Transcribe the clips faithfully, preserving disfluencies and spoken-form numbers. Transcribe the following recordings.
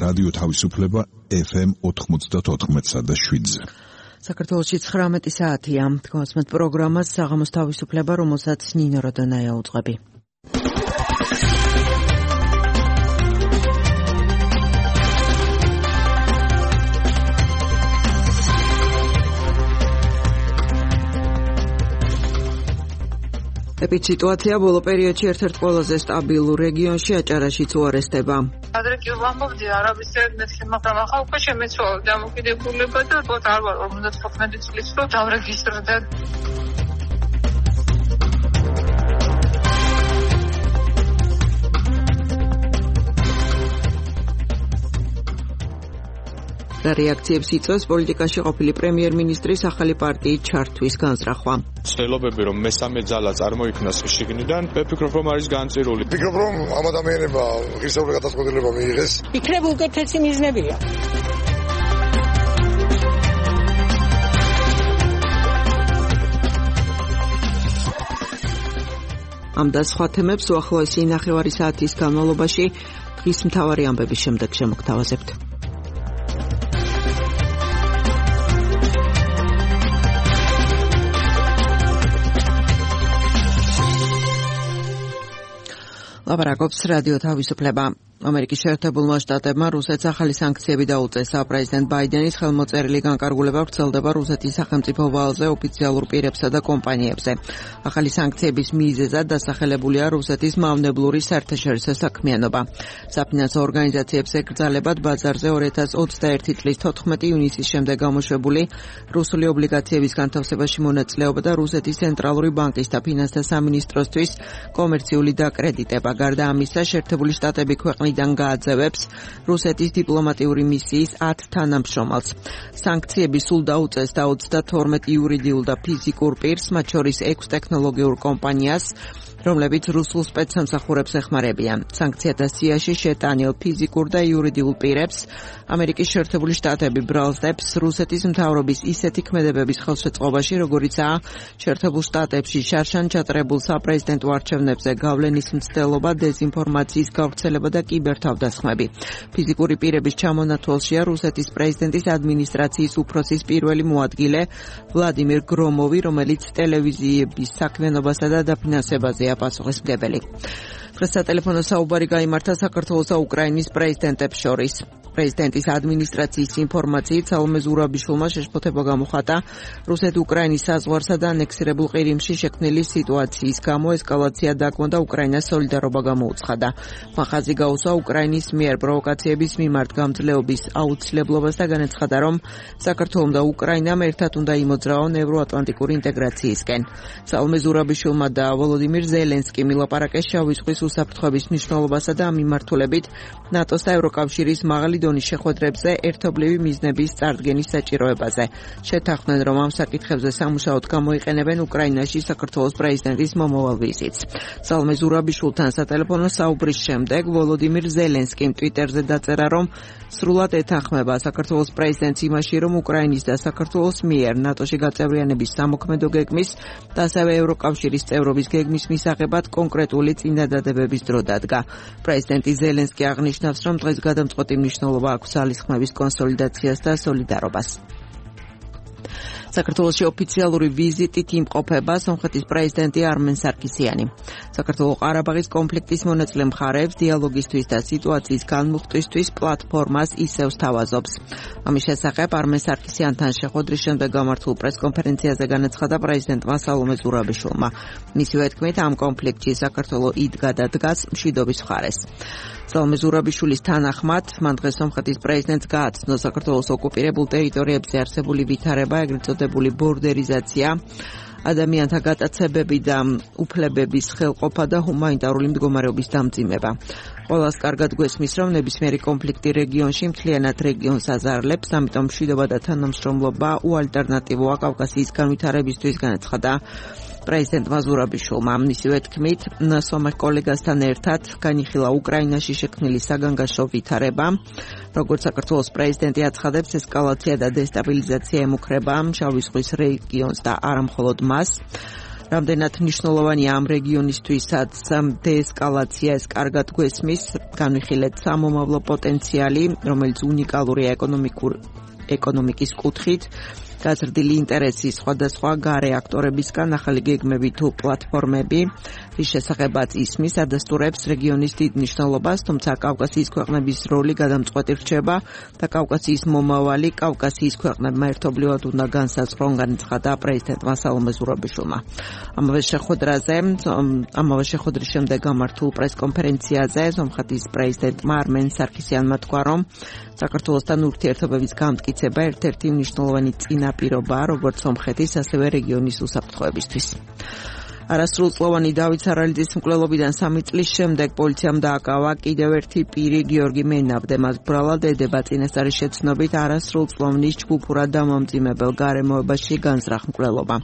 რადიო თავისუფლება ეფ ემ ოთხმოცდაოთხ და შვიდზე. საქართველოში ცხრამეტი საათია. თქვენს პროგრამას საღამოს თავისუფლება, რომელსაც ნინო როდონაია უძღვები. ეპიდემიологია ბოლო პერიოდში ერთ-ერთ ყველაზე სტაბილურ რეგიონში აჭარაშიც უარესდება. ადრე კი ვამბობდი არაბისერად მეთქი, მაგრამ ახლა უკვე შემეცვალა დამოკიდებულება და ვთქვათ არ ვარ ორმოცდათხუთმეტი წლის რომ დავრეგისტრდა. და რეაქციებს იწვევს პოლიტიკაში ყოფილი პრემიერ-მინისტრის ახალი პარტიის ჩართვის განზრახვა. ცდილობები რომ მესამე ძალა წარმოიქმნას შიგნიდან, ვფიქრობ რომ არის განწირული. ვფიქრობ რომ ამ ადამიანებმა ღირსეული გადაწყვეტილება მიიღეს. იქნებ უკეთესი მიზნებია. ამ და სხვა თემებს უახლოესი ნახევარი საათის განმავლობაში დღის მთავარი ამბების შემდეგ შემოგთავაზებთ. ლაპარაკობს რადიო თავისუფლება. ამერიკის შეერთებულმა შტატებმა რუსეთს ახალი სანქციები დაუწესა. პრეზიდენტ ბაიდენის ხელმოწერილი განკარგულება ვრცელდება რუსეთის სახელმწიფო ვალზე, ოფიციალურ პირებსა და კომპანიებზე. ახალი სანქციების მიზეზად დასახელებულია რუსეთის მავნებლური საერთაშორისო საქმიანობა. საფინანსო ორგანიზაციებს ეკრძალებათ ბაზარზე ორი ათას ოცდაერთი წლის თოთხმეტი ივნისის შემდეგ გამოშვებული რუსული ობლიგაციების განთავსებაში მონაწილეობა და რუსეთის ცენტრალური ბანკის და ფინანსთა სამინისტროსთვის კომერციული დაკრედიტება. გარდა ამისა, შეერთებული შტატები ქვეყნიდან გააძევებს რუსეთის დიპლომატიური მისიის ათ თანამშრომელს. სანქციები სულ დაუწესდა ოცდათორმეტ იურიდიულ და ფიზიკურ პირს, მათ შორის ექვს ტექნოლოგიურ კომპანიას, რომლებიც რუსულ სპეცსამსახურებს ეხმარებიან. სანქციათა სიაში შეტანილ ფიზიკურ და იურიდიულ პირებს ამერიკის შეერთებული შტატები ბრალსდებს რუსეთის მთავრობის ისეთი ქმედებების ხელშეწყობაში, როგორიცაა შეერთებულ შტატებში შარშან ჩატარებულ საპრეზიდენტო არჩევნებზე გავლენის მცდელობა, დეზინფორმაციის გავრცელება და კიბერთავდასხმები. ფიზიკური პირების ჩამონათვალშია რუსეთის პრეზიდენტის ადმინისტრაციის უფროსის პირველი მოადგილე ვლადიმირ გრომოვი, რომელიც ტელევიზიების საქმიანობასა და დაფინანსებაზეა პასუხისმგებელი. დღეს სატელეფონო საუბარი გაიმართა საქართველოს და უკრაინის პრეზიდენტებს შორის. პრეზიდენტის ადმინისტრაციის ინფორმაციით სალომე ზურაბიშვილმა შეშფოთება გამოხატა რუსეთ-უკრაინის საზღვარსა და ანექსირებულ ყირიმში შექმნილი სიტუაციის გამო ესკალაცია დაგმო და უკრაინას სოლიდარობა გამოუცხადა. მახაზი გაუსვა უკრაინის მიერ პროვოკაციების მიმართ გამძლეობის აუცილებლობას და განაცხადა, რომ საქართველომ და უკრაინამ ერთად უნდა იმოძრაონ ევროატლანტიკური ინტეგრაციისკენ. სალომე ზურაბიშვილმა და ვოლოდიმირ ზელენსკიმ ილაპარაკეს შავი ზღვის უსაფრთხოების მნიშვნელობასა და ამ მიმართულებით ნატოს და ევროკავშირის მაღალი დონის შეხვედრებზე ერთობლივი მიზნების წარდგენის საჭიროებაზე. შეთანხმდნენ, რომ ამ საკითხებზე სამუშაოდ გამოიყენებენ უკრაინაში საქართველოს პრეზიდენტის მომავალ ვიზიტს. სალომე ზურაბიშვილთან სატელეფონო საუბრის შემდეგ ვოლოდიმირ ზელენსკიმ ტვიტერზე დაწერა, რომ სრულად ეთანხმება საქართველოს პრეზიდენტს იმაში, რომ უკრაინის და საქართველოს მიერ ნატოში გაწევრიანების სამოქმედო გეგმის და ასევე ევროკავშირის წევრობის გეგმის მისაღებად კონკრეტული წინადადებების დრო დადგა. პრეზიდენტი ზელენსკი აღნიშნავს, რომ დღეს გადამწყვეტი მნიშვნელობა აქვს ძალისხმების კონსოლიდაციას და სოლიდარობას. საქართველოში ოფიციალური ვიზიტით იმყოფება სომხეთის პრეზიდენტი არმენ სარკისიანი. საქართველოს ყარაბაღის კონფლიქტის მონაწილე მხარეებს დიალოგისთვის და სიტუაციის განმუხტვისთვის პლატფორმას ისევ სთავაზობს. ამის შესახებ არმენ სარკისიანთან შეხვედრის შემდეგ გამართულ პრესკონფერენციაზე განაცხადა პრეზიდენტმა სალომე ზურაბიშვილმა. მისივე თქმით, ამ კონფლიქტში საქართველო იდგა და დგას მშვიდობის მხარეს. სალომე ზურაბიშვილის თანახმად, მან დღეს სომხეთის პრეზიდენტს გააცნო საქართველოს ოკუპირებულ ტერიტორიებზე არსებული ვითარება, ეგრეთ წოდებული ბორდერიზაცია, ადამიანთა გატაცებები და უფლებების ხელყოფა და ჰუმანიტარული მდგომარეობის დამძიმება. ყველას კარგად გვესმის, რომ ნებისმიერი კონფლიქტი რეგიონში მთლიანად რეგიონს აზარლებს, ამიტომ მშვიდობა და თანამშრომლობა უალტერნატივოა კავკასიის განვითარებისთვის, განაცხადა პრეზიდენტმა ზურაბიშვილმა. მისივე თქმით, სომეხ კოლეგასთან ერთად განიხილა უკრაინაში შექმნილი საგანგაშო ვითარება. როგორც საქართველოს პრეზიდენტი აცხადებს, ესკალაცია და დესტაბილიზაცია ემუქრება შავი ზღვის რეგიონს და არა მხოლოდ მას. რამდენად მნიშვნელოვანია ამ რეგიონისთვისაც დეესკალაცია, ეს კარგად გვესმის, განვიხილეთ სამომავლო პოტენციალი, რომელიც უნიკალურია ეკონომიკურ ეკონომიკის კუთხით, გაზრდილი ინტერესი სხვადასხვა გარე აქტორებისგან, ახალი გეგმები თუ პლატფორმები, რის შესახებაც ისმის, ადასტურებს რეგიონის დიდ მნიშვნელობას, თუმცა კავკასიის ქვეყნების როლი გადამწყვეტი რჩება და კავკასიის მომავალი კავკასიის ქვეყნებმა ერთობლივად უნდა განსაზღვრონ, განაცხადა პრეზიდენტმა სალომე ზურაბიშვილმა. ამავე შეხვედრაზე, ამავე შეხვედრის შემდეგ გამართულ პრესკონფერენციაზე სომხეთის პრეზიდენტმა არმენ სარქისიანმა თქვა, რომ საქართველოსთან ურთიერთობების გამტკიცება ერთ-ერთი მნიშვნელოვანი წინაპირობაა როგორც სომხეთის, ასევე რეგიონის უსაფრთხოებისთვის. არასრულწლოვანი დავით სარალიძის მკვლელობიდან სამი წლის შემდეგ პოლიციამ დააკავა კიდევ ერთი პირი, გიორგი მენაბდე. მას ბრალად ედება წინასწარი შეცნობით არასრულწლოვნის ჯგუფურად დამამძიმებელ გარემოებაში განზრახ მკვლელობა.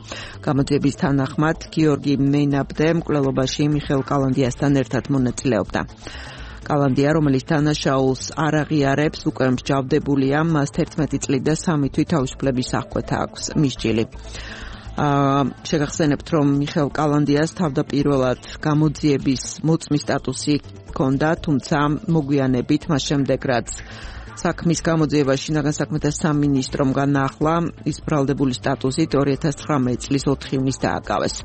გამოძიების თანახმად გიორგი მენაბდე მკვლელობაში მიხეილ კალანდიასთან ერთად მონაწილეობდა. კალანდია, რომელიც დანაშაულს არ აღიარებს, უკვე მსჯავრდებულია, მას თერთმეტი წლით და სამი თვის თავისუფლების აღკვეთა აქვს მისჯილი. შეგახსენებთ, რომ მიხეილ კალანდიას თავდაპირველად გამოძიების მოწმის სტატუსი ჰქონდა, თუმცა მოგვიანებით მას შემდეგ, რაც საქმის გამოძიება შინაგან საქმეთა სამინისტრომ განაახლა, ის ბრალდებული სტატუსით ორი ათას ცხრამეტი წლის ოთხი ივნისს დააკავეს.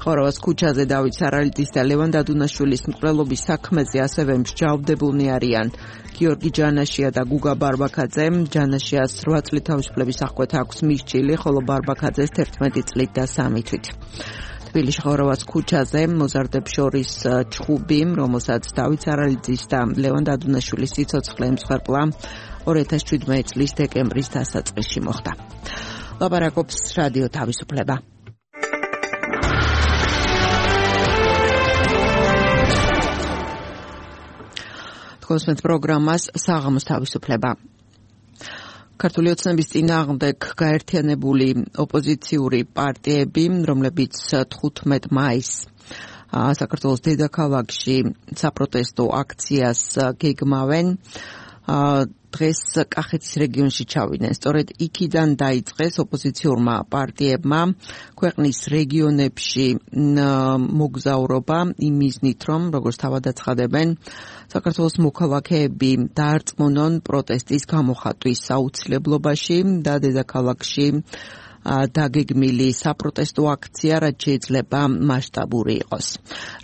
ხოვრავას ქუჩაზე დავით სარალიძის და ლევან დადუნაშვილის მკვლელობის საქმეზე ასევე მსჯავრდებულნი არიან გიორგი ჯანაშია და გუგა ბარბაქაძე. ჯანაშიას რვა წლით თავისუფლების აღკვეთა აქვს მისჯილი, ხოლო ბარბაქაძეს თერთმეტი წლით და სამი თვით. თბილისში ხოვრავას ქუჩაზე მოზარდებს შორის ჩხუბი, რომელსაც დავით სარალიძის და ლევან დადუნაშვილის სიცოცხლე ემსხვერპლა ორი ათას შვიდმეტი წლის დეკემბრის დასაწყისში მოხდა. ლაპარაკობს რადიო თავისუფლება. თქვენს პროგრამას საღამოს თავისუფლება. ქართული ოცნების წინააღმდეგ გაერთიანებული ოპოზიციური პარტიები, რომლებიც თხუთმეტ მაისს საქართველოს დედაქალაქში საპროტესტო აქციას გეგმავენ, დღეს კახეთის რეგიონში ჩავიდნენ. სწორედ იქიდან დაიწყეს ოპოზიციურმა პარტიებმა ქვეყნის რეგიონებში მოგზაურობა იმ მიზნით, რომ როგორც თავად აცხადებენ, საქართველოს მოქალაქეები დაარწმუნონ პროტესტის გამოხატვის აუცილებლობაში და დედაქალაქში დაგეგმილი საპროტესტო აქცია რაც შეიძლება მასშტაბური იყოს.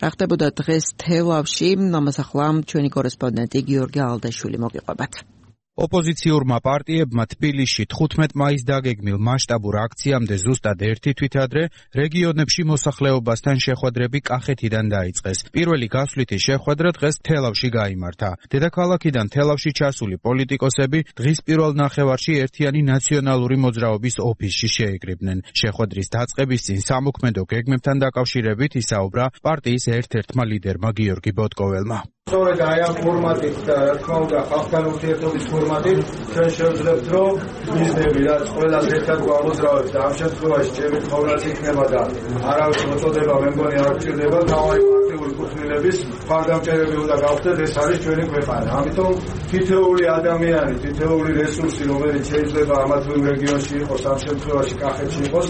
რა ხდებოდა დღეს თელავში, ამას ახლა ჩვენი კორესპონდენტი გიორგი ალდაშვილი მოგიყვებათ. ოპოზიციურმა პარტიებმა თბილისში თხუთმეტ მაისს დაგეგმილ მასშტაბურ აქციამდე ზუსტად ერთი თვით ადრე რეგიონებში მოსახლეობასთან შეხვედრები კახეთიდან დაიწყეს. პირველი გასვლითი შეხვედრა დღეს თელავში გაიმართა. დედაქალაქიდან თელავში ჩასული პოლიტიკოსები დღის პირველ ნახევარში ერთიანი ნაციონალური მოძრაობის ოფისში შეიკრიბნენ. შეხვედრის დაწყების წინ სამოქმედო გეგმებთან დაკავშირებით ისაუბრა პარტიის ერთ-ერთმა ლიდერმა გიორგი ბოტკოველმა. სწორედ აი ამ ფორმატით და რა თქმა უნდა ხალხთან ურთიერთობის ფორმატით ჩვენ შევძლებთ, რომ მიზნები რაც ყველას ერთად გვამოძრავებს და ამ შემთხვევაში ჩემი თხოვნაც იქნება და არავის მოწოდება მე მგონი არ გჭირდება, თავი პარტიული კუთვნილების მხარდამჭერები უნდა გავხდეთ, ეს არის ჩვენი ქვეყანა. ამიტომ თითოეული ადამიანი, თითოეული რესურსი, რომელიც შეიძლება ამა თუ იმ რეგიონში იყოს, ამ შემთხვევაში კახეთში იყოს,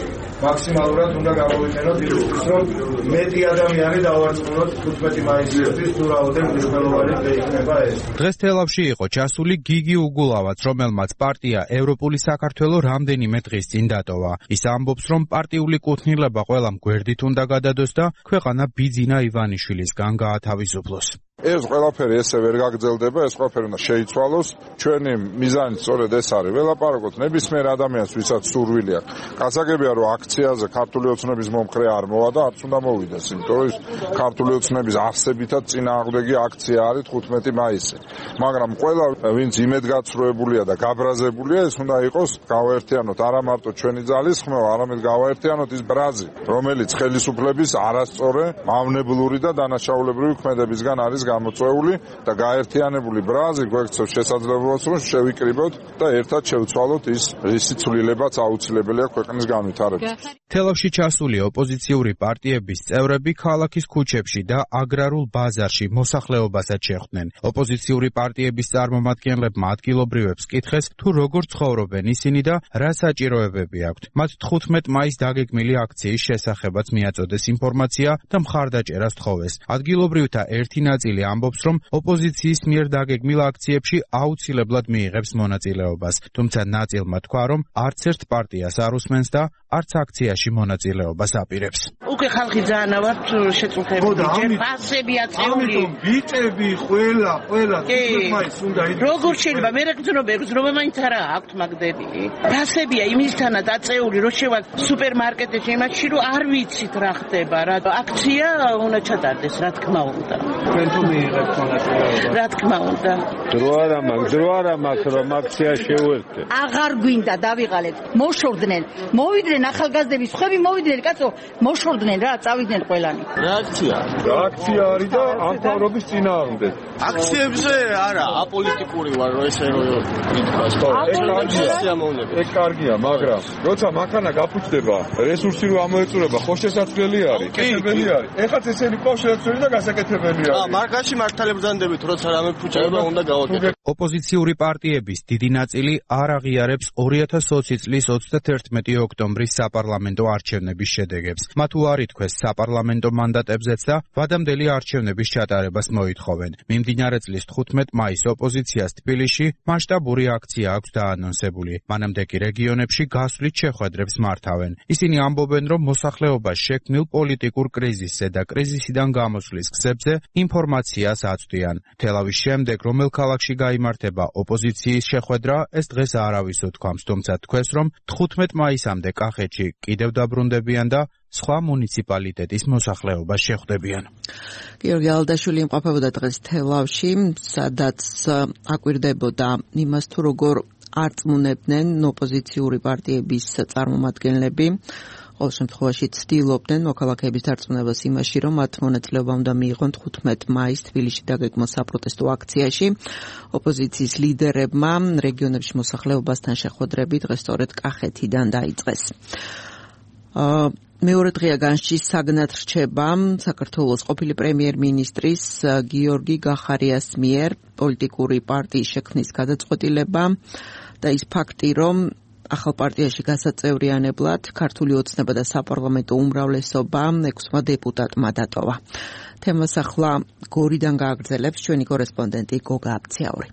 მაქსიმალურად უნდა გამოვიყენოთ იმისთვის, რომ მეტი ადამიანი დავარწმუნოთ თხუთმეტი მაისისთვის თუ რაოდენობით დღეს თელავში იყო ჩასული გიგი უგულავაც, რომელმაც პარტია ევროპული საქართველო რამდენიმე დღის წინ დატოვა. ის ამბობს, რომ პარტიული კუთვნილება ყველამ გვერდით უნდა გადადოს და ქვეყანა ბიძინა ივანიშვილისგან გაათავისუფლოს. ეს ყველაფერი ესე ვერ გაგრძელდება, ეს ყველაფერი უნდა შეიცვალოს. ჩვენი მიზანი სწორედ ეს არის, ველაპარაკოთ ნებისმიერ ადამიანს, ვისაც სურვილი აქვს. გასაგებია, რომ აქციაზე ქართული ოცნების მომხრე არ მოვა და არც უნდა მოვიდეს, იმიტომ რომ ქართული ოცნების არსებითად წინააღმდეგი აქცია არის თხუთმეტი მაისი. მაგრამ ყველა ვინც იმედგაცრუებულია და გაბრაზებულია, ეს უნდა იყოს გავაერთიანოთ არა მარტო ჩვენი ძალის ხმევა, არამედ გავაერთიანოთ ის ბრაზი, რომელიც ხელისუფლების არასწორი, მავნებლური და დანაშაულებრივი ქმედებისგან არის გამოწვეული და გაერთიანებული ბრაზი გვექცევს შესაძლებლობას რომ შევიკრიბოთ და ერთად შევცვალოთ ის რისი ცვლილებაც აუცილებელია ქვეყნის განვითარებისთვის. თელავში ჩასული ოპოზიციური პარტიების წევრები ქალაქის ქუჩებში და აგრარულ ბაზარში მოსახლეობასაც შეხვდნენ. ოპოზიციური პარტიების წარმომადგენლებმა ადგილობრივებს კითხეს, თუ როგორ ცხოვრობენ ისინი და რა საჭიროებები აქვთ. მათ თხუთმეტ მაისს დაგეგმილი აქციის შესახებაც მიაწოდეს ინფორმაცია და მხარდაჭერას თხოვეს. ადგილობრივთა ერთი ნაწილი ამბობს, რომ ოპოზიციის მიერ დაგეგმილ აქციებში აუცილებლად მიიღებს მონაწილეობას, თუმცა ნაწილმა თქვა, რომ არც ერთ პარტიას არ უსმენს და არც აქციაში მონაწილეობას აპირებს. უკვე ხალხი ძალიან ავართ შეწუხებული, ჯერ ფასები აწეული. ამიტომ ბიჭები ყველა, ყველა თვითმაინც უნდა იდეა. როგორ შეიძლება მე რეგზნობა, რეგზნობა მაინც არა აქვთ მაგდები. ფასებია იმისთანაც აწეული, რომ შევალ სუპერმარკეტებში იმაში, რომ არ ვიცით რა ხდება, რა აქცია უნდა ჩატარდეს, რა თქმა უნდა. თქვენ თუ მიიღებთ მონაწილეობა? რა თქმა უნდა. დრო არა მაქვს, დრო არა მაქვს, რომ აქცია შევერთდე. აღარ გვინდა დავიღალეთ. მოშორდნენ, მოვიდნენ ახალგაზრდები, სხვები მოვიდნენ, კაცო, მოშორდნენ რა, წავიდნენ ყველანი. რა აქცია? რა აქცია არის და ამ თავრობის წინააღმდეგ. აქციებზე არა, აპოლიტიკური ვარ, რომ ესე რომ ითქვას. ეს კარგია, მაგრამ როცა მანქანა გაფუჭდება, რესურსი რო ამოეწურება, ხო შესაძლებელი არის, კეთებელი არის. ეხლა ესენი ყო შეცვლილი და გასაკეთებელი არის. აა, მარკაში მართალი ბრძანდებით, როცა რამე ფუჭდება, უნდა გავაკეთოთ. ოპოზიციური პარტიების დიდი ნაწილი არ აღიარებს ორი ათას ოცი წლის ოცდათერთმეტი ოქტომბრის საპარლამენტო არჩევნების შედეგებს. მათ უარი თქვეს საპარლამენტო მანდატებზეც და ვადამდელი არჩევნების ჩატარებას მოითხოვენ. მიმდინარე წლის თხუთმეტ მაისს ოპოზიციას თბილისში მასშტაბური აქცია აქვს დაანონსებული. მანამდე კი რეგიონებში გასვლით შეხვედრებს მართავენ. ისინი ამბობენ, რომ მოსახლეობას შექმნილ პოლიტიკურ კრიზისზე და კრიზისიდან გამოსვლის გზებზე ინფორმაციას აწვდიან. თელავის შემდეგ რომელ ქალაქში გაიმართება ოპოზიციის შეხვედრა, ეს დღეს არავის უთქვამს, თუმცა თქვეს, რომ თხუთმეტ მაისამდე კახეთში კიდევ დაბრუნდებიან და სხვა მუნიციპალიტეტის მოსახლეობას შეხვდებიან. გიორგი ალდაშვილი იმყოფებოდა დღეს თელავში, სადაც აკვირდებოდა იმას, თუ როგორ არწმუნებდნენ ოპოზიციური პარტიების წარმომადგენლები. ყოველ შემთხვევაში ცდილობდნენ მოქალაქეების დარწმუნებას იმაში, რომ მათ მონაწილეობა უნდა მიიღონ თხუთმეტ მაისს თბილისში დაგეგმილ საპროტესტო აქციაში. ოპოზიციის ლიდერებმა რეგიონებში მოსახლეობასთან შეხვედრები დღეს სწორედ კახეთიდან დაიწყეს. მეორე დღეა განშჩის საგნად რჩება საქართველოს ყოფილი პრემიერ-მინისტრის გიორგი გახარიას მიერ პოლიტიკური პარტიის შექმნის გადაწყვეტილება და ის ფაქტი, რომ ახალ პარტიაში გასაწევრიანებლად ქართული ოცნება და საპარლამენტო უმრავლესობა ექვსმა დეპუტატმა დატოვა. თემას ახლა გორიდან გააგრძელებს ჩვენი კორესპონდენტი გოგა აბცაური.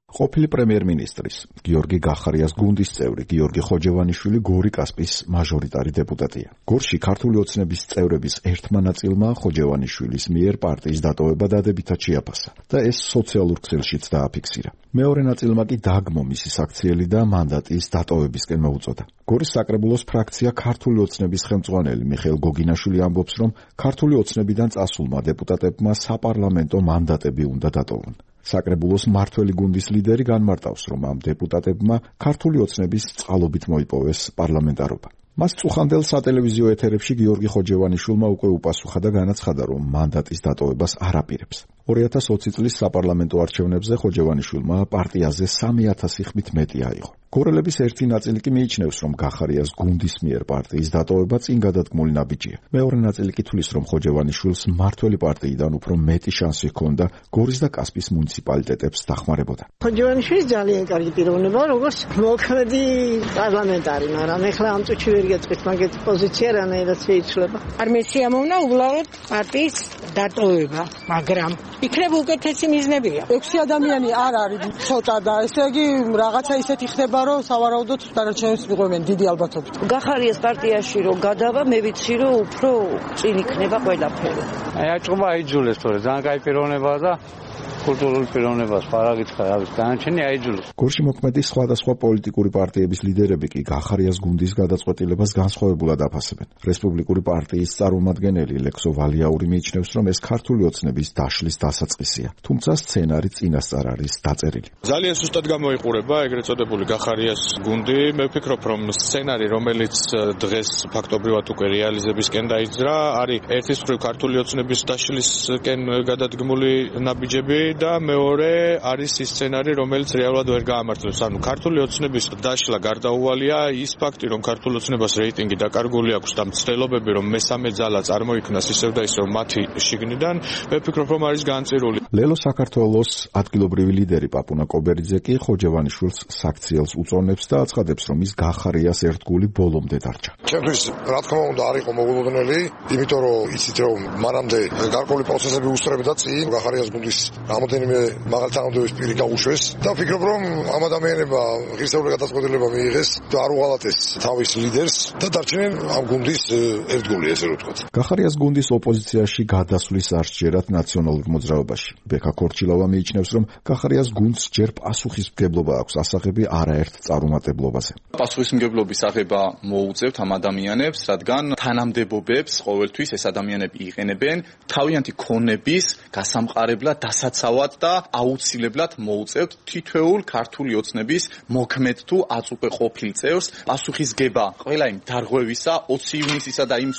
ყოფილი პრემიერ-მინისტრის გიორგი გახარიას გუნდის წევრი გიორგი ხოჯევანიშვილი გორი კასპის მაჟორიტარი დეპუტატია. გორში ქართული ოცნების წევრების ერთმა ნაწილმა ხოჯევანიშვილის მიერ პარტიის დატოვება დადებითად შეაფასა და ეს სოციალურ ქსელშიც დააფიქსირა. მეორე ნაწილმა კი დაგმო მისი საქციელი და მანდატის დატოვებისკენ მოუწოდა. გორის საკრებულოს ფრაქცია ქართული ოცნების ხელმძღვანელი მიხეილ გოგინაშვილი ამბობს, რომ ქართული ოცნებიდან წასულმა დეპუტატებმა საპარლამენტო მანდატები უნდა დატოვონ. საკრებულოს მართველი გუნდის ლიდერი განმარტავს, რომ ამ დეპუტატებმა ქართული ოცნების წყალობით მოიპოვეს პარლამენტარობა. მას წუხანდელ სატელევიზიო ეთერებში გიორგი ხოჯევანიშვილმა უკვე უპასუხა და განაცხადა, რომ მანდატის დატოვებას არ აპირებს. ორი ათას ოცი წლის საპარლამენტო არჩევნებზე ხოჯევანიშვილმა პარტიაზე სამი ათასი ხმით მეტი აიღო. გორელების ერთი ნაწილი კი მიიჩნევს, რომ გახარიას გუნდის მიერ პარტიის დატოვება წინ გადადგმული ნაბიჯია. მეორე ნაწილი კი თვლის, რომ ხოჯევანიშვილს მართველი პარტიიდან უფრო მეტი შანსი ჰქონდა გორის და კასპის მუნიციპალიტეტებს დახმარებოდა. ხოჯევანიშვილის ძალიან კარგი პიროვნება, როგორც მოქმედი პარლამენტარი, მაგრამ ეხლა ამ წუთში ვერ გეტყვით მაგეთი პოზიცია რანაირად შეიცვლება. არ მესიამოვნა უბრალოდ პარტიის დატოვება, მაგრამ იქნება უკეთესი მიზნებია. ექვსი ადამიანი არ არის ცოტა და ესე იგი რაღაცა ისეთი ხდება, რომ სავარაუდოდ დანარჩენებს მიყვებენ დიდი ალბათობით. გახარიას პარტიაში რომ გადავა, მე ვიცი რომ უფრო წინ იქნება ყველაფერი. აი აჭყობა აიძულეს თორე ძალიან კაი პიროვნებაა და კულტურული პიროვნებას პარაგითხრა, რავი, განაჩენი აიძულეს. გორში მოქმედი სხვადასხვა პოლიტიკური პარტიების ლიდერები კი გახარიას გუნდის გადაწყვეტილებას განსხვავებულად აფასებენ. რესპუბლიკური პარტიის წარმომადგენელი ლექსო ვალიაური მიიჩნევს, რომ ეს ქართული ოცნების დაშლის დასაწყისია, თუმცა სცენარი წინასწარ არის დაწერილი. ძალიან სუსტად გამოიყურება ეგრეთ წოდებული გახარიას გუნდი. მე ვფიქრობ, რომ სცენარი, რომელიც დღეს ფაქტობრივად უკვე რეალიზებისკენ დაიძრა, არის ერთის მხრივ ქართული ოცნების დაშლისკენ გადადგმული ნაბიჯები და მეორე არის ის სცენარი, რომელიც რეალურად ვერ გაამართლებს. ანუ ქართული ოცნების დაშლა გარდაუვალია, ის ფაქტი, რომ ქართული ოცნებას რეიტინგი დაკარგული აქვს და მცდელობები, რომ მესამე ძალა წარმოიქმნას ისევ და ისევ მათი შიგნიდან, მე ვფიქრობ, რომ არის განწირული. ლელო საქართველოს ადგილობრივი ლიდერი პაპუნა კობერიძე კი ხოჯევანიშვილს საქციელს უწონებს და აცხადებს, რომ ის გახარიას ერთგული ბოლომდე დარჩა. ჩემთვის რა თქმა უნდა არ იყო მოულოდნელი, იმიტომ რომ იცით რომ მანამდე გარკვეული პროცესები უსწრებდა წინ გახარიას გუნდის რამოდენიმე მაღალ თანამდებობის პირი გაუშვეს და ვფიქრობ რომ ამ ადამიანებმა ღირსეული გადაწყვეტილება მიიღეს და არ უღალატეს თავის ლიდერს და დარჩნენ ამ გუნდის ერთგული, ესე რომ ვთქვათ. გახარიას გუნდის ოპოზიციაში გადასვლის არ სჯერათ ნაციონალურ მოძრაობაში. ბექა ქორჩილავა მიიჩნევს, რომ გახარიას გუნდს ჯერ პასუხისმგებლობა აქვს ასაღები არაერთ წარუმატებლობაზე. პასუხისმგებლობის აღება მოუწევთ ამ ადამიანებს, რადგან თანამდებობებს ყოველთვის ეს ადამიანები იყენებენ თავიანთი ქონების გასამყარებლად, დასაცავად და აუცილებლად მოუწევთ თითოეულ ქართული ოცნების მოქმედ თუ აწუყე ყოფილ წევრს პასუხისგება ყველა იმ დარღვევისა, ოცი ივნისისა და იმ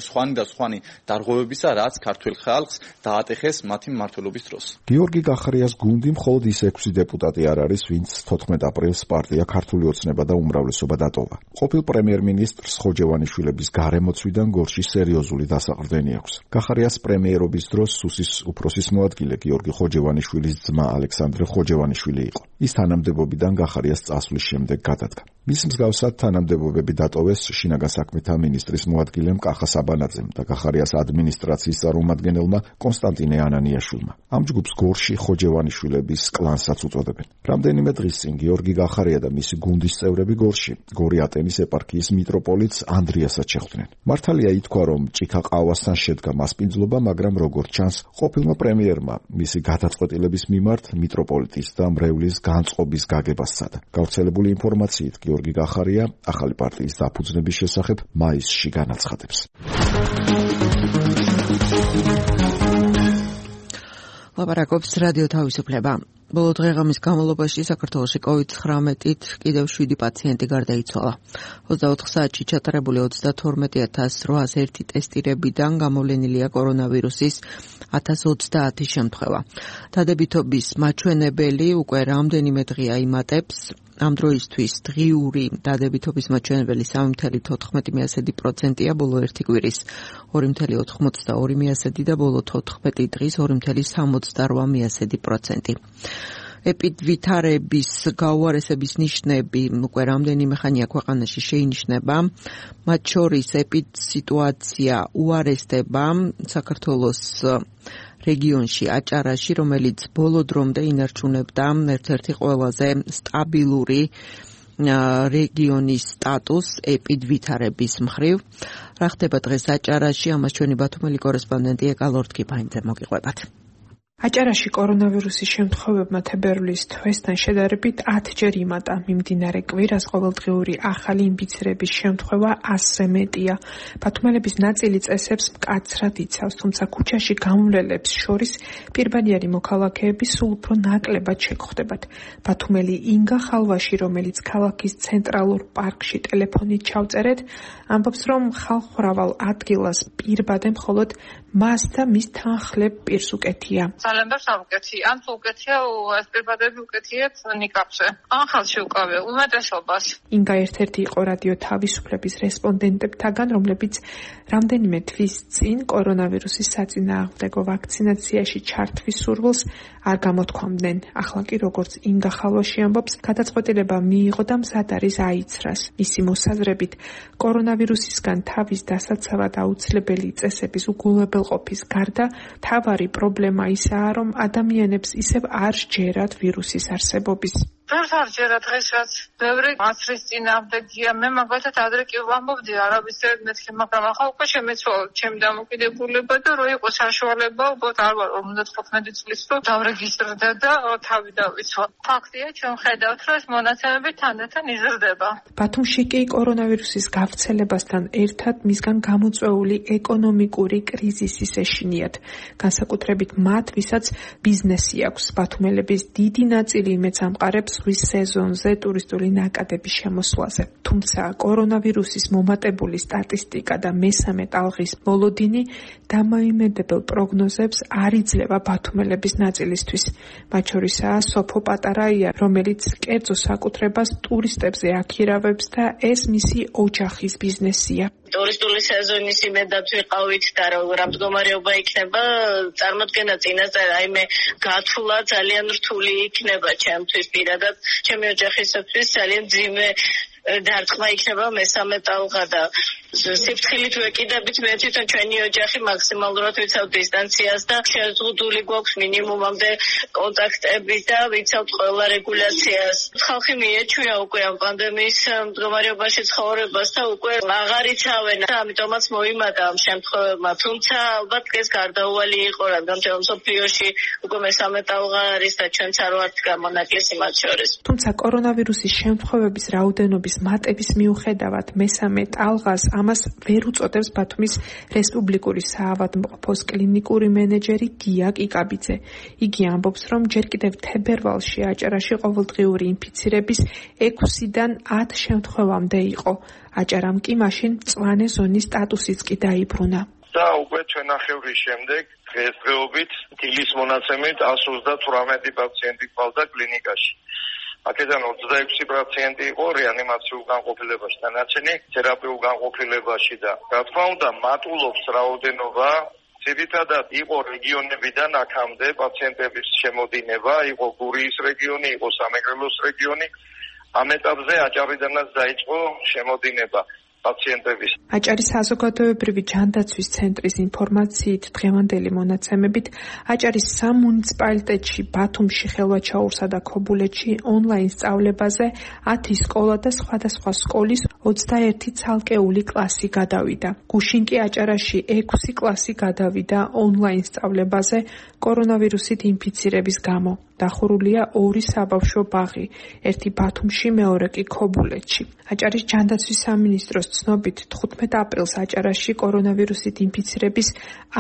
სხვანი და სხვანი დარღვევებისა, რაც ქართულ ხალხს დაატეხეს მათი მმართველობის დროს. გიორგი გახარიას გუნდი მხოლოდ ის ექვსი დეპუტატი არ არის, ვინც თოთხმეტ აპრილს პარტია ქართული ოცნება და უმრავლესობა დატოვა. ყოფილ პრემიერ-მინისტრს ხოჯევანიშვილების გარემოცვიდან გორში სერიოზული დასაყრდენი აქვს. გახარიას პრემიერობის დროს სუსის უფროსის მოადგილე გიორგი ხოჯევანიშვილის ძმა ალექსანდრე ხოჯევანიშვილი იყო. ის თანამდებობიდან გახარიას წასვლის შემდეგ გადადგა. მის მსგავსად თანამდებობები დატოვეს შინაგან საქმეთა მინისტრის მოადგილემ კახა საბანაძემ და გახარიას ადმინისტრაციის წარმომადგენელმა კონსტანტინე ანანიაშვილმა. ამ ჯგუფს გორში ხოჯევანიშვილების კლანსაც უწოდებენ. რამდენიმე დღის წინ გიორგი გახარია და მისი გუნდის წევრები გორში გორი ატენის ეპარქიის მიტროპოლიტს ანდრიასაც შეხვდნენ. მართალია ითქვა, რომ ჭიქა ყავასთან შედგა მასპინძლობა, მაგრამ როგორც ჩანს, ყოფილმა პრემიერმა მისი გადაწყვეტილების მიმართ მიტროპოლიტის და მრევლის განწყობის გაგება სცადა. გავრცელებული ინფორმაციით გიორგი გახარია ახალი პარტიის დაფუძნების შესახებ მაისში განაცხადებს. ლაპარაკობს რადიო თავისუფლება. ბოლო დღეღამის განმავლობაში საქართველოში კოვიდ ცხრამეტით კიდევ შვიდი პაციენტი გარდაიცვალა. ოცდაოთხ საათში ჩატარებული ოცდათორმეტი ათას რვაას ერთი ტესტირებიდან გამოვლენილია კორონავირუსის ათას ოცდაათი შემთხვევა. დადებითობის მაჩვენებელი უკვე რამდენიმე დღეა იმატებს. ამ დროისთვის დღიური დადებითობის მაჩვენებელი სამი ფاصლე თოთხმეტი პროცენტია ბოლო ერთი კვირის, ორი ფاصლე ოთხმოცდაორი და ბოლო თოთხმეტი დღის ორი ფاصლე სამოცდარვა პროცენტი. ეპიდვითარების გაუარესების ნიშნები უკვე რამდენიმე ხანია ქვეყანაში შეინიშნება. მათ შორის ეპიდსიტუაცია უარესდება საქართველოს რეგიონში აჭარაში, რომელიც ბოლო დრომდე ინარჩუნებდა ერთ-ერთი ყველაზე სტაბილური რეგიონის სტატუსს ეპიდვითარების მხრივ. რა ხდება დღეს აჭარაში, ამას ჩვენი ბათუმელი კორესპონდენტი ეკა ლორდ-კიფაინძე მოგიყვებათ. აჭარაში კორონავირუსის შემთხვევებმა თებერვლის თვესთან შედარებით ათჯერ იმატა. მიმდინარე კვირას ყოველდღიური ახალი ინფიცირების შემთხვევა ასზე მეტია. ბათუმელების ნაწილი წესებს მკაცრად იცავს, თუმცა ქუჩაში გამვლელებს შორის პირბადიანი მოქალაქეები სულ უფრო ნაკლებად შეგხვდებათ. ბათუმელი ინგა ხალვაში, რომელიც ქალაქის ცენტრალურ პარკში ტელეფონით ჩავწერეთ, ამბობს, რომ ხალხმრავალ ადგილას პირბადე მხოლოდ მას და მის თანხლებ პირს უკეთია. ძალიან ბევრს არ უკეთია. ან თუ უკეთია, ეს პირბადები უკეთიათ ნიკაპზე. ან ხალხში უკავია უმეტესობას. ინგა ერთ-ერთი იყო რადიო თავისუფლების რესპონდენტებთაგან, რომლებიც რამდენიმე თვის წინ კორონავირუსის საწინააღმდეგო ვაქცინაციაში ჩართვის სურვილს არ გამოთქვამდნენ. ახლა კი როგორც ინგა ხალვაში ამბობს, გადაწყვეტილება მიიღო და მზად არის აიცრას. მისი მოსაზრებით, კორონავირუსისგან თავის დასაცავად აუცილებელი წესების უგულებელყოფის გარდა, მთავარი პრობლემა ისაა, რომ ადამიანებს ისევ არ სჯერათ ვირუსის არსებობის. ბევრს არ ჯერა დღეს რაც ბევრი აცრის წინააღმდეგია. მე მაგალითად ადრე კი ვამბობდი არაბისერად მეთქი, მაგრამ ახლა უკვე შემეცვალა ჩემი დამოკიდებულება და რო იყო საშუალება, უბრალოდ არ ვარ ორმოცდათხუთმეტი წლის რომ დავრეგისტრდა და თავი დავიცვა. ფაქტია, ჩვენ ხედავთ, რომ ეს მონაცემები თანდათან იზრდება. ბათუმში კი კორონავირუსის გავრცელებასთან ერთად მისგან გამოწვეული ეკონომიკური კრიზისის ეშინიათ. განსაკუთრებით მათ, ვისაც ბიზნესი აქვს. ბათუმელების დიდი ნაწილი იმედს ამყარებს ზღვის სეზონზე ტურისტული ნაკადების შემოსვლაზე. თუმცა კორონავირუსის მომატებული სტატისტიკა და მესამე ტალღის მოლოდინი დამოიმედებელ პროგნოზებს არ იძლევა ბათუმელების ნაწილისთვის. მათ შორისაა სოფო პატარაია, რომელიც კერძო საკუთრებას ტურისტებზე აქირავებს და ეს მისი ოჯახის ბიზნესია. ტურისტული სეზონის იმედად ვიყავით და რა მდგომარეობა იქნება, წარმოდგენა წინასწარ აიმე გათვლა ძალიან რთული იქნება ჩემთვის პირადად, ჩემი ოჯახისათვის ძალიან ძიმე დარტყმა იქნება მესამე ტალღა და სიფრთხილით ვეკიდებით მე თვითონ ჩვენი ოჯახი მაქსიმალურად ვიცავთ დისტანციას და შეზღუდული გვაქვს მინიმუმამდე კონტაქტები და ვიცავთ ყველა რეგულაციას. ხალხი მიეჩვია უკვე ამ პანდემიის მდგომარეობაში ცხოვრებას და უკვე აღარ იცავენ და ამიტომაც მოიმატა ამ შემთხვევებმა. თუმცა ალბათ ეს გარდაუვალი იყო, რადგან თელ მსოფლიოში უკვე მესამე ტალღა არის და ჩვენც არ ვართ გამონაკლისი მათ შორის. თუმცა კორონავირუსის შემთხვევების რაოდენობის მატების მიუხედავად მესამე ტალღას ამას ვერ უწოდებს ბათუმის რესპუბლიკური საავადმყოფოს კლინიკური მენეჯერი გია კიკაბიძე. იგი ამბობს, რომ ჯერ კიდევ თებერვალში აჭარაში ყოველდღიური ინფიცირების ექვსიდან ათ შემთხვევამდე იყო. აჭარამ კი მაშინ მწვანე ზონის სტატუსიც კი დაიბრუნა. და უკვე ჩვენახევრის შემდეგ დღესდღეობით დილის მონაცემით εκατს ოცდათვრამეტი პაციენტი ყავდა კლინიკაში. აქედან ოცდაექვსი პაციენტი იყო რეანიმაციულ განყოფილებაში, დანარჩენი თერაპიულ განყოფილებაში და რა თქმა უნდა მატულობს რაოდენობა. ძირითადად იყო რეგიონებიდან აქამდე პაციენტების შემოდინება, იყო გურიის რეგიონი, იყო სამეგრელოს რეგიონი. ამ ეტაპზე აჭარიდანაც დაიწყო შემოდინება პაციენტების. აჭარის საზოგადოებრივი ჯანდაცვის ცენტრის ინფორმაციით დღევანდელი მონაცემებით აჭარის სამ მუნიციპალიტეტში, ბათუმში, ხელვაჩაურსა და ქობულეთში ონლაინ სწავლებაზე ათი სკოლა და სხვადასხვა სკოლის ოცდაერთი ცალკეული კლასი გადავიდა. გუშინ კი აჭარაში ექვსი კლასი გადავიდა ონლაინ სწავლებაზე კორონავირუსით ინფიცირების გამო. დახურულია ორი საბავშვო ბაღი, ერთი ბათუმში, მეორე კი ქობულეთში. აჭარის ჯანდაცვის სამინისტროს ცნობით თხუთმეტ აპრილს აჭარაში კორონავირუსით ინფიცირების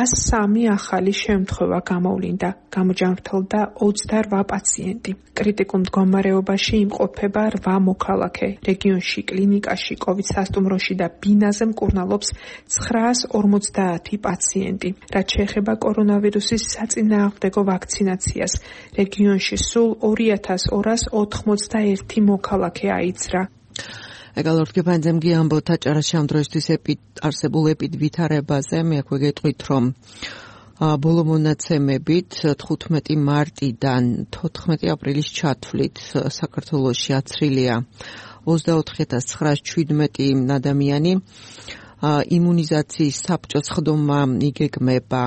ას სამი ახალი შემთხვევა გამოვლინდა. გამოჯანმრთელდა ოცდარვა პაციენტი. კრიტიკულ მდგომარეობაში იმყოფება რვა მოქალაქე. რეგიონში კლინიკაში, კოვიდ სასტუმროში და ბინაზე მკურნალობს ცხრაას ორმოცდაათი პაციენტი. რაც შეეხება კორონავირუსის საწინააღმდეგო ვაქცინაციას, რეგიონში სულ ორი ათას ორას ოთხმოცდაერთი მოქალაქე აიცრა. ეკალორტკიფანძემ გიამბოთ აჭარაში ამ დროისთვის არსებულ ეპიდვითარებაზე. მე აქვე გეტყვით, რომ ბოლო მონაცემებით თხუთმეტი მარტიდან თოთხმეტი აპრილის ჩათვლით საქართველოში აცრილია ოცდაოთხი ათას ცხრაას შვიდმეტი ადამიანი. იმუნიზაციის საბჭოს ხდომა იგეგმება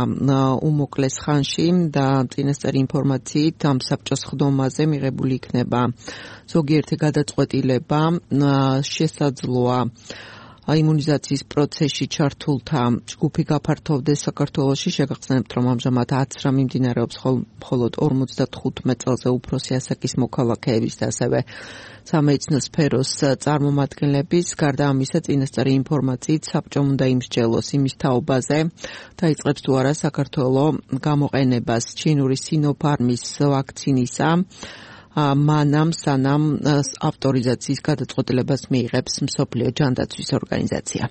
უმოკლეს ხანში და წინასწარი ინფორმაციით ამ საბჭოს ხდომაზე მიღებული იქნება ზოგიერთი გადაწყვეტილება. შესაძლოა იმუნიზაციის პროცესში ჩართულთა ჯგუფი გაფართოვდეს საქართველოში. შეგახსენებთ, რომ ამჟამად აცრა მიმდინარეობს მხოლოდ ორმოცდათხუთმეტ წელზე უფროსი ასაკის მოქალაქეების და ასევე სამედიცინო სფეროს წარმომადგენლების. გარდა ამისა, წინასწარი ინფორმაციით საბჭომ უნდა იმსჯელოს იმის თაობაზე, დაიწყებს თუ არა საქართველოს გამოყენებას ჩინური სინოფარმის ვაქცინისა, მანამ სანამ ავტორიზაციის გადაწყვეტილებას მიიღებს მსოფლიო ჯანდაცვის ორგანიზაცია.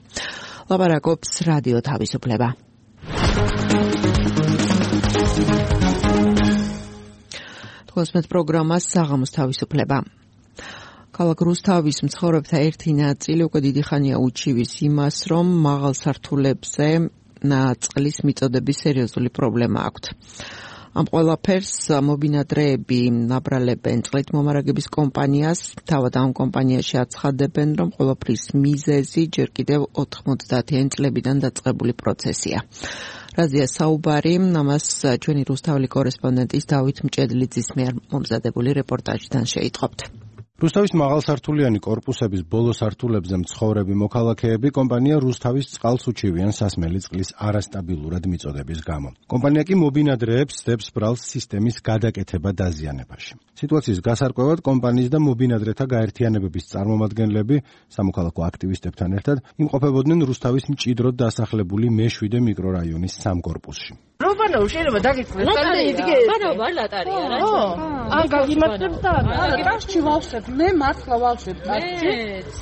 ლაპარაკობს რადიო თავისუფლება. თვალსმეთ პროგრამას საღამოს თავისუფლება. ქალაქ რუსთავის მცხოვრებთა ერთი ნაწილი უკვე დიდი ხანია უჩივის იმას, რომ მაღალ სართულებზე წყლის მიწოდების სერიოზული პრობლემა აქვთ. ამ ყველაფერს მობინადრეები აბრალებენ წყლით მომარაგების კომპანიას. თავად ამ კომპანიაში აცხადებენ, რომ ყველაფრის მიზეზი ჯერ კიდევ ოთხმოცდაათიან წლებიდან დაწყებული პროცესია. რაზეა საუბარი, ამას ჩვენი რუსთაველი კორესპონდენტის დავით მჭედლიძის მიერ მომზადებული რეპორტაჟიდან შეიტყობთ. რუსთავის მაღალსართულიანი კორპუსების ბოლო სართულებზე მცხოვრები მოქალაქეები კომპანია რუსთავის წყალს უჩივიან სასმელი წყლის არასტაბილურად მიწოდების გამო. კომპანია კი მობინადრეებს სდებს ბრალს სისტემის გადაკეთება დაზიანებაში. სიტუაციის გასარკვევად კომპანიის და მობინადრეთა გაერთიანებების წარმომადგენლები სამოქალაქო აქტივისტებთან ერთად იმყოფებოდნენ რუსთავის მჭიდროდ დასახლებული მეშვიდე მიკრორაიონის სამ კორპუსში. რობანო შეიძლება დაგიწყდეს ლატარია ბანა ვარ ლატარია რა ან გაგიმართებს და არა ტაშში ვავსებ მე მართლა ვავსებ ტაშში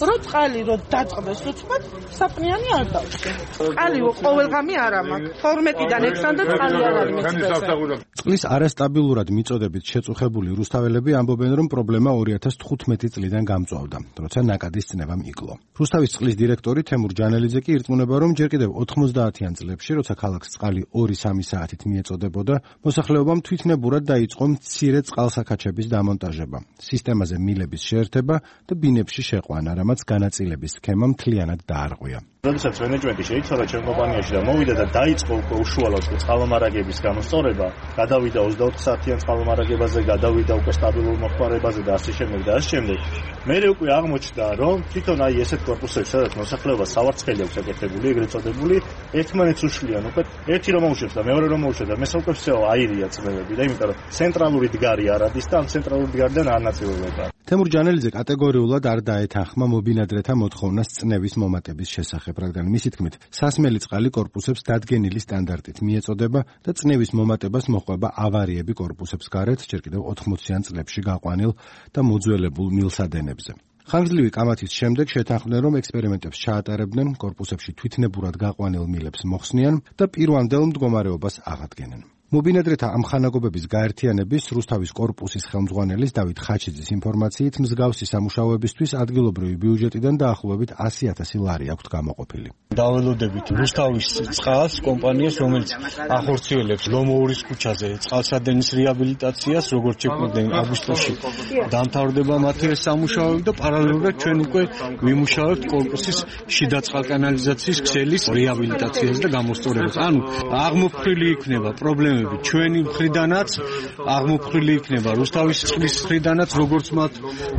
რო წყალი რო დაწყდეს უცბად საფნიანი არ დავშე წყალი ყოველგამი არა მაქვს თორმეტიდან ექვსამდე წყალი არ არის მეცდასა წყლის არასტაბილურად მიწოდებით შეწუხებული რუსთაველები ამბობენ რომ პრობლემა ორი ათას თხუთმეტი წლიდან გამწვავდა როცა ნაკადის წნევამ იკლო რუსთავის წყლის დირექტორი თემურ ჯანელიძე კი ირწმუნება რომ ჯერ კიდევ ოთხმოცდაათიან წლებში როცა ქალაქს წყალი ორი სამი საათით მიეწოდებოდა, მოსახლეობამ თვითნებურად დაიწყო მცირე წყალსაქაჩების დამონტაჟება, სისტემაზე მილების შეერთება და ბინებში შეყვანა, რამაც განაწილების სქემა მთლიანად დაარღვია. როდესაც მენეჯმენტი შეიცვალა ჩემ კომპანიაში და მოვიდა და დაიწყო უკვე უშუალოდ წყალმომარაგების გამოსწორება, გადავიდა ოცდაოთხ საათიან წყალმომარაგებაზე, გადავიდა უკვე სტაბილურ მოხმარებაზე და ასე შემდეგ და ასე შემდეგ. მერე უკვე აღმოჩნდა, რომ თვითონ აი ესეთ კორპუსებში, სადაც მოსახლეობა სავარცხელი აქვს აკეთებული, ეგრეთ წოდებული, ერთმანეთს უშლიან უკვე ერთი რომ მოუშვებს და მეორე რომ მოუშვებს და მესა უკვე всё აირია წნევები და იმიტომ რომ ცენტრალური დგარი არ არის და ამ ცენტრალური დგარიდან არ ნაწილდება. თემურ ჯანელიძე კატეგორიულად არ დაეთანხმა მობინადრეთა მოთხოვნას წნევის მომატების შესახებ, რადგან მისი თქმით, სასმელი წყალი კორპუსებს დადგენილი სტანდარტით მიეწოდება და წნევის მომატებას მოჰყვება ავარიები კორპუსებს გარეთ, ჯერ კიდევ ოთხმოციან წლებში გაყვანილ და მოძველებულ მილსადენებზე. ხანგრძლივი კამათის შემდეგ შეთანხმდნენ, რომ ექსპერიმენტებს ჩაატარებდნენ, კორპუსებში თვითნებურად გაყვანილ მილებს მოხსნიან და პირვანდელ მდგომარეობას აღადგენენ. მობინადრეთა ამხანაგობების გაერთიანების რუსთავის კორპუსის ხელმძღვანელის დავით ხაჩიძის ინფორმაციით მსგავსი სამუშაოებისთვის ადგილობრივი ბიუჯეტიდან დაახლოებით ასი ათასი ლარი აქვთ გამოყოფილი. დაველოდებით რუსთავის წყალს კომპანიას, რომელიც ახორციელებს ლომოურის ქუჩაზე წყალსადენის რეაბილიტაციას, როგორც შეკვდნენ აგვისტოში დამთავრდება მათი ეს სამუშაოები და პარალელურად ჩვენ უკვე ვიმუშავებთ კორპუსის შიდა წყალკანალიზაციის ქსელის რეაბილიტაციას და გამოსწორებას. ანუ აღმოფხვრილი იქნება პრობლემა ჩვენი მხრიდანაც აღმოფხვრილი იქნება რუსთავის წყლის მხრიდანაც როგორც მათ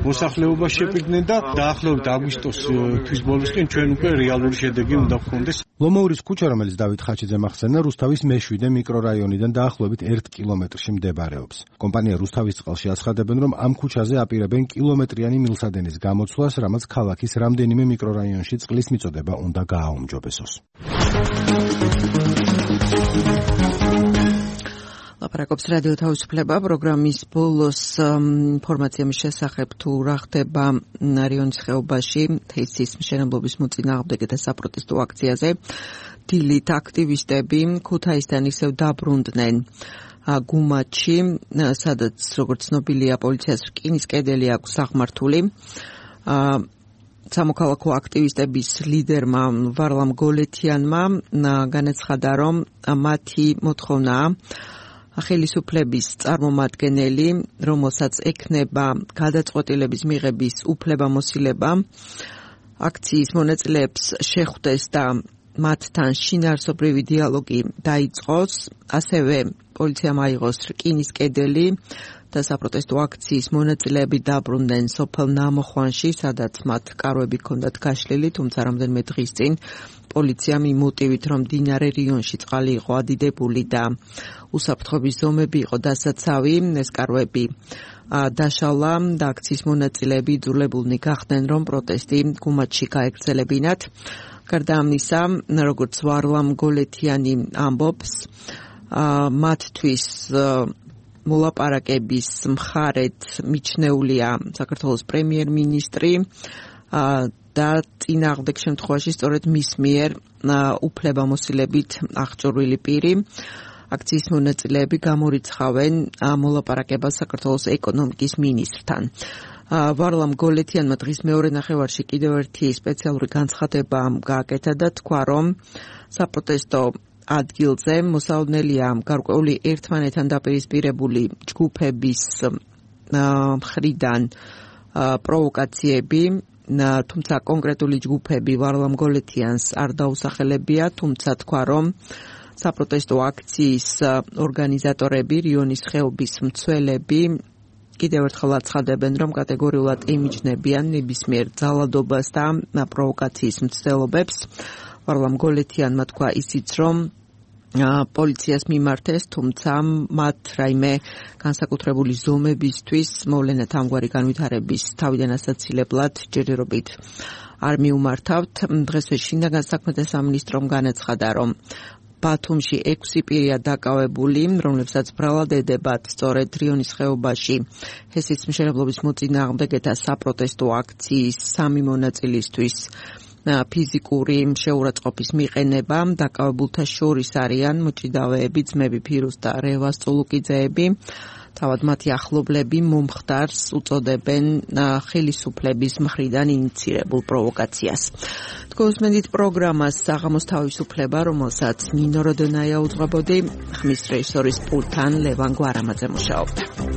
მოსახლეობა შეპირდნენ და დაახლოებით აგვისტოს თვის ბოლოსკენ ჩვენ უკვე რეალური შედეგი უნდა გქონდეს. ლომოურის ქუჩა, რომელიც დავით ხაჩიძემ ახსენა, რუსთავის მეშვიდე მიკრორაიონიდან დაახლოებით ერთ კილომეტრში მდებარეობს. კომპანია რუსთავის წყალში აცხადებენ, რომ ამ ქუჩაზე აპირებენ კილომეტრიანი მილსადენის გამოცვლას, რამაც ქალაქის რამდენიმე მიკრორაიონში წყლის მიწოდება უნდა გააუმჯობესოს. ლაპარაკობს რადიო თავისუფლება პროგრამის ბოლოს ინფორმაცია მის შესახებ თუ რა ხდება რიონის ხეობაში თეისის მშენებლობის მოწინააღმდეგეთა საპროტესტო აქციაზე. დილით აქტივისტები ქუთაისთან ისევ დაბრუნდნენ გუმათში, სადაც როგორც ცნობილია პოლიციას რკინის კედელი აქვს აღმართული. სამოქალაქო აქტივისტების ლიდერმა ვარლამ გოლეთიანმა განაცხადა, რომ მათი მოთხოვნაა ხელისუფლების წარმომადგენელი, რომელსაც ექნება გადაწყვეტილების მიღების უფლებამოსილება, აქციის მონაწილეებს შეხვდეს და მათთან შინაარსობრივი დიალოგი დაიწყოს, ასევე პოლიციამ აიღოს რკინის კედელი და საპროტესტო აქციის მონაწილეები დაბრუნდნენ სოფელ ნამოხვანში, სადაც მათ კარვები ჰქონდათ გაშლილი, თუმცა რამდენიმე დღის წინ პოლიციამ იმ მოტივით, რომ მდინარე რიონში წყალი იყო ადიდებული და უსაფრთხოების ზომები იყო დასაცავი, ეს კარვები დაშალა და აქციის მონაწილეები იძულებულნი გახდნენ, რომ პროტესტი გუმათში გაეგრძელებინათ. გარდა ამისა, როგორც ვარლამ გოლეთიანი ამბობს, მათთვის მოლაპარაკების მხარეთ მიჩნეულია საქართველოს პრემიერ-მინისტრი და წინააღმდეგ შემთხვევაში სწორედ მის მიერ უფლებამოსილებით აღჭურვილი პირი. აქციის მონაწილეები გამორიცხავენ მოლაპარაკებას საქართველოს ეკონომიკის მინისტრთან. ვარლამ გოლეთიანმა დღის მეორე ნახევარში კიდევ ერთი სპეციალური განცხადება გააკეთა და თქვა, რომ საპროტესტო ადგილზე მოსალოდნელია გარკვეული ერთმანეთთან დაპირისპირებული ჯგუფების მხრიდან პროვოკაციები, თუმცა კონკრეტული ჯგუფები ვარლამ გოლეთიანს არ დაუსახელებია, თუმცა თქვა, რომ საპროტესტო აქციის ორგანიზატორები, რიონის ხეობის მცველები კიდევ ერთხელ აცხადებენ, რომ კატეგორიულად ემიჯნებიან ნებისმიერ ძალადობას და პროვოკაციის მცდელობებს. ვარლამ გოლეთიანმა თქვა ისიც, რომ პოლიციას მიმართეს, თუმცა მათ რაიმე განსაკუთრებული ზომებისთვის მოვლენათ ამგვარი განვითარების თავიდან ასაცილებლად ჯერჯერობით არ მიუმართავთ. დღესვე შინაგან საქმეთა სამინისტრომ განაცხადა, რომ ბათუმში ექვსი პირია დაკავებული, რომლებსაც ბრალად ედებათ სწორედ რიონის ხეობაში ჰესის მშენებლობის მოწინააღმდეგეთა საპროტესტო აქციის სამი მონაწილისთვის ფიზიკური შეურაცხყოფის მიყენება. დაკავებულთა შორის არიან მოჭიდავეები, ძმები ფირუს და რევას წულუკიძეები. თავად მათი ახლობლები მომხდარს უწოდებენ ხელისუფლების მხრიდან ინიცირებულ პროვოკაციას. თქვენსმენდით პროგრამას საღამოს თავისუფლება, რომელსაც ნინო როდონაია უძღვებოდი, ხმის რეჟისორის პულტთან ლევან გვარამაძე მუშაობდა.